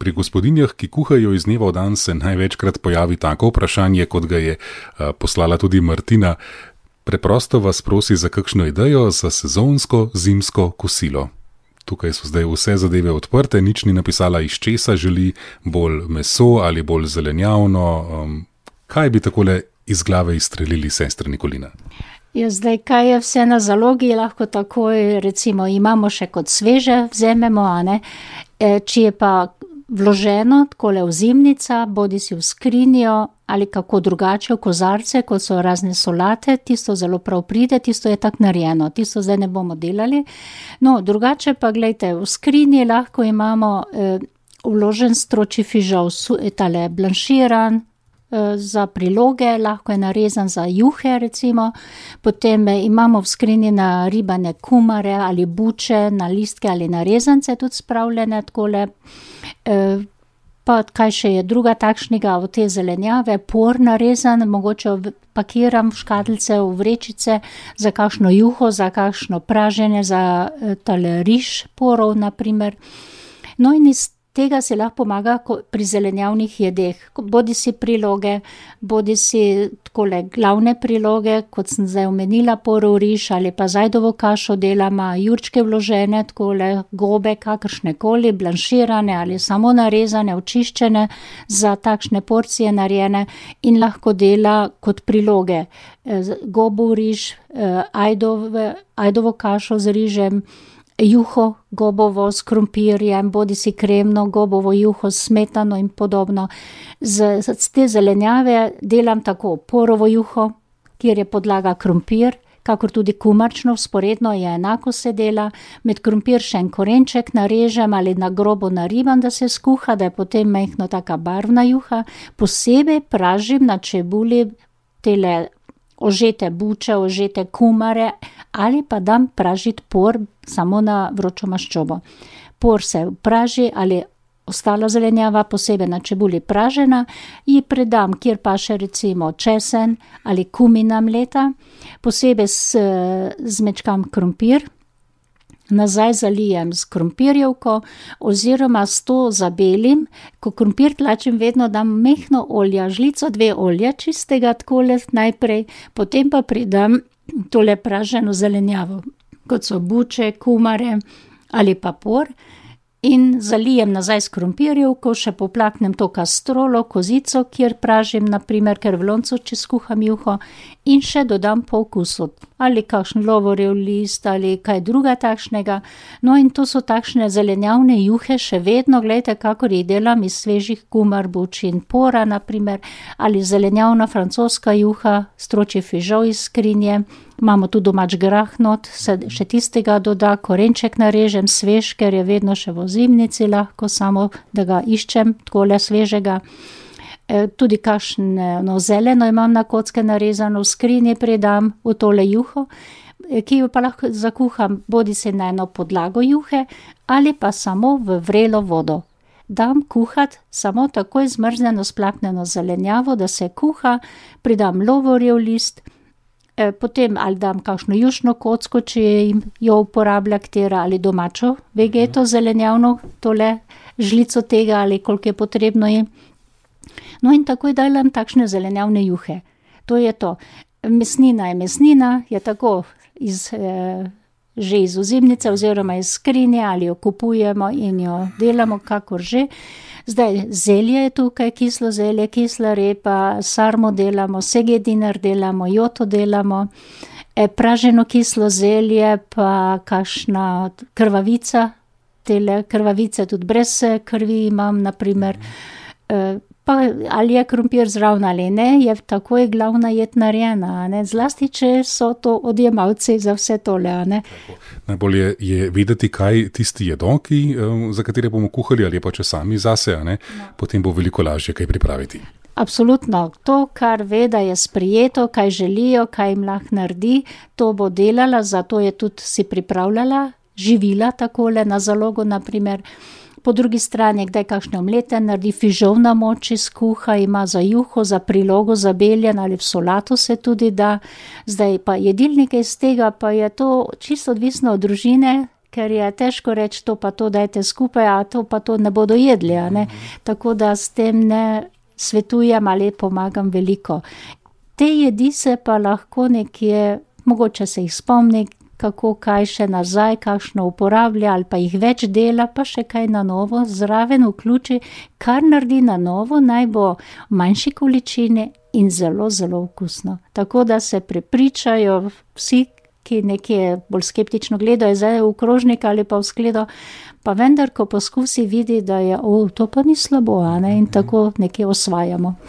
Pri gospodinjah, ki kuhajo iz dneva v dan, se največkrat pojavi tako vprašanje, kot ga je poslala tudi Martina. Preprosto vas prosi za kakšno idejo za sezonsko zimsko kosilo. Tukaj so zdaj vse zadeve odprte, nič ni napisala, iz česa želi, bolj meso ali bolj zelenjavno. Kaj bi takole iz glave izstrelili, sestra Nikolina? Ja, zdaj, kaj je vse na zalogi, lahko takoj, recimo, imamo še kot sveže, vzememo, a ne. Če je pa vloženo, takole v zimnica, bodi si v skrinjo ali kako drugače v kozarce, kot so razne solate, tisto zelo prav pride, tisto je tak narejeno, tisto zdaj ne bomo delali. No, drugače pa, glejte, v skrinji lahko imamo vložen stročji fižol, tale blanširan, za priloge, lahko je narezan za juhe, recimo. Potem imamo v skrinji naribane kumare ali buče, na listke ali na rezance tudi spravljene takole. Pa kaj še je druga takšnega od te zelenjave, por narezan, mogoče pakiram v škatlice, v vrečice za kakšno juho, za kakšno praženje, za tale riž porov, naprimer. No in iz tega se lahko pomaga pri zelenjavnih jedeh, bodi si priloge, bodi si takole glavne priloge, kot sem zdaj omenila, porov riž ali pa zajdovo kašo delama, jurčke vložene, takole gobe, kakršnekoli, blanširane ali samo narezane, očiščene, za takšne porcije narejene in lahko dela kot priloge. Gobov riž, ajdovo kašo z rižem, juho gobovo s krompirjem, bodi si kremno gobovo juho s smetano in podobno. Z te zelenjave delam tako porovo juho, kjer je podlaga krompir, kakor tudi kumarčno, vzporedno je enako se dela. Med krompir še en korenček narežem ali na grobo naribam, da se skuha, da je potem majhno taka barvna juha. Posebej pražim na čebuli tele ožete buče, ožete kumare ali pa dam pražiti por samo na vročo maščobo. Por se praži ali ostala zelenjava, posebej na čebuli pražena, ji predam, kjer pa še recimo česen ali kumina mleta, posebej zmečkam krompir, nazaj zalijem s krompirjevko oziroma s to zabelim. Ko krompir tlačim, vedno dam mehno olja, žlico 2 olja čistega, takole najprej, potem pa pridam tole praženo zelenjavo, kot so buče, kumare ali pa por, in zalijem nazaj s krompirjevko, še poplaknem to kastrolo, kozico, kjer pražim, naprimer, ker v loncu, če skuham juho, in še dodam po okusu, ali kakšen lovorjev list, ali kaj druga takšnega. No in to so takšne zelenjavne juhe, še vedno, gledajte, kakor jih delam iz svežih kumar, buč in pora, naprimer, ali zelenjavna francoska juha, stročji fižol iz skrinje. Imamo tu domač grah not, se še tistega doda, korenček narežem svež, ker je vedno še v zimnici lahko, samo da ga iščem, takole svežega. Tudi kakšno zeleno imam na kocke narezano, v skrinji predam v tole juho, ki jo pa lahko zakuham bodi se na eno podlago juhe ali pa samo v vrelo vodo. Dam kuhat samo takoj zmrznjeno splaknjeno zelenjavo, da se kuha, pridam lovorjev list, potem ali dam kakšno jušno kocko, če jo uporablja katera, ali domačo vegeto zelenjavno, tole žlico tega ali koliko je potrebno je. No in takoj delam takšne zelenjavne juhe. To je to. Mesnina, je tako že iz ozimnice oziroma iz skrinje ali jo kupujemo in jo delamo, kakor že. Zdaj, zelje je tukaj, kislo zelje, kisla repa, sarmo delamo, segedinar delamo, joto delamo, praženo kislo zelje, pa kakšna krvavica, tele krvavice tudi brez krvi imam, naprimer, pa ali je krompir zraven ali ne, je takoj glavna jed narejena, ne, zlasti, če so to odjemalci za vse tole, ne. Najbolje je vedeti, kaj tisti jedo, za katere bomo kuhali, ali pa če sami zase, ne, potem bo veliko lažje kaj pripraviti. Absolutno, to, kar ve, da je sprijeto, kaj želijo, kaj jim lahko naredi, to bo delala, zato je tudi si pripravljala živila takole na zalogo, naprimer. Po drugi strani, kdaj kakšne omlete naredi, fižol na moči skuha, ima za juho, za prilogo, za beljen ali v solato se tudi da. Zdaj pa jedilnike iz tega, pa je to čisto odvisno od družine, ker je težko reči, to pa to dajte skupaj, a to pa to ne bodo jedli, a ne. Tako da s tem ne svetujem ali pomagam veliko. Te jedi se pa lahko nekje, mogoče se jih spomni, kako kaj še nazaj, kakšno uporablja ali pa jih več dela, pa še kaj na novo zraven vključi, kar naredi na novo, naj bo v manjši količini in zelo, zelo okusno. Tako da se prepričajo vsi, ki nekje bolj skeptično gledajo zdaj v krožnik ali pa v skledo, pa vendar, ko poskusi, vidi, da je, to pa ni slabo, a ne, in tako nekje osvajamo.